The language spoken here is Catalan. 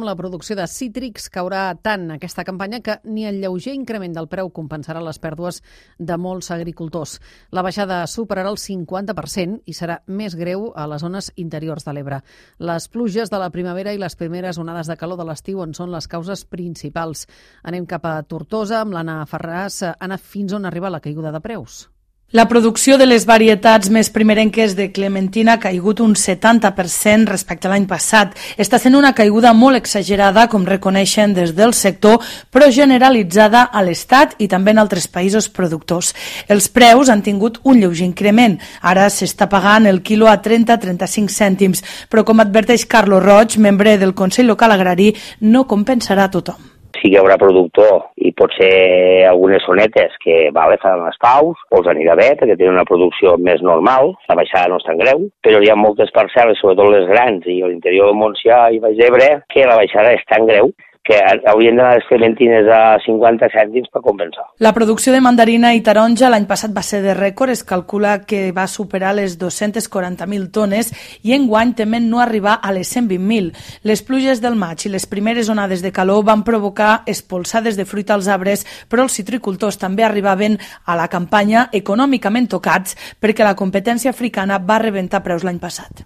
La producció de cítrics caurà tant aquesta campanya que ni el lleuger increment del preu compensarà les pèrdues de molts agricultors. La baixada superarà el 50% i serà més greu a les zones interiors de l'Ebre. Les pluges de la primavera i les primeres onades de calor de l'estiu en són les causes principals. Anem cap a Tortosa amb l'Anna Ferràs. Anna, fins on arriba la caiguda de preus? La producció de les varietats més primerenques de clementina ha caigut un 70% respecte a l'any passat. Està sent una caiguda molt exagerada, com reconeixen des del sector, però generalitzada a l'Estat i també en altres països productors. Els preus han tingut un lleuger increment. Ara s'està pagant el quilo a 30-35 cèntims, però com adverteix Carlos Roig, membre del Consell Local Agrari, no compensarà a tothom. Sí que hi haurà productor i potser algunes zonetes que faran les paus o els anirà bé perquè tenen una producció més normal, la baixada no és tan greu, però hi ha moltes parcel·les, sobretot les grans i a l'interior del Montsià i Baix d'Ebre, que la baixada és tan greu que haurien d'anar les clementines a 50 cèntims per compensar. La producció de mandarina i taronja l'any passat va ser de rècord, es calcula que va superar les 240.000 tones i enguany temen no arribar a les 120.000. Les pluges del maig i les primeres onades de calor van provocar espolsades de fruita als arbres, però els citricultors també arribaven a la campanya econòmicament tocats perquè la competència africana va rebentar preus l'any passat.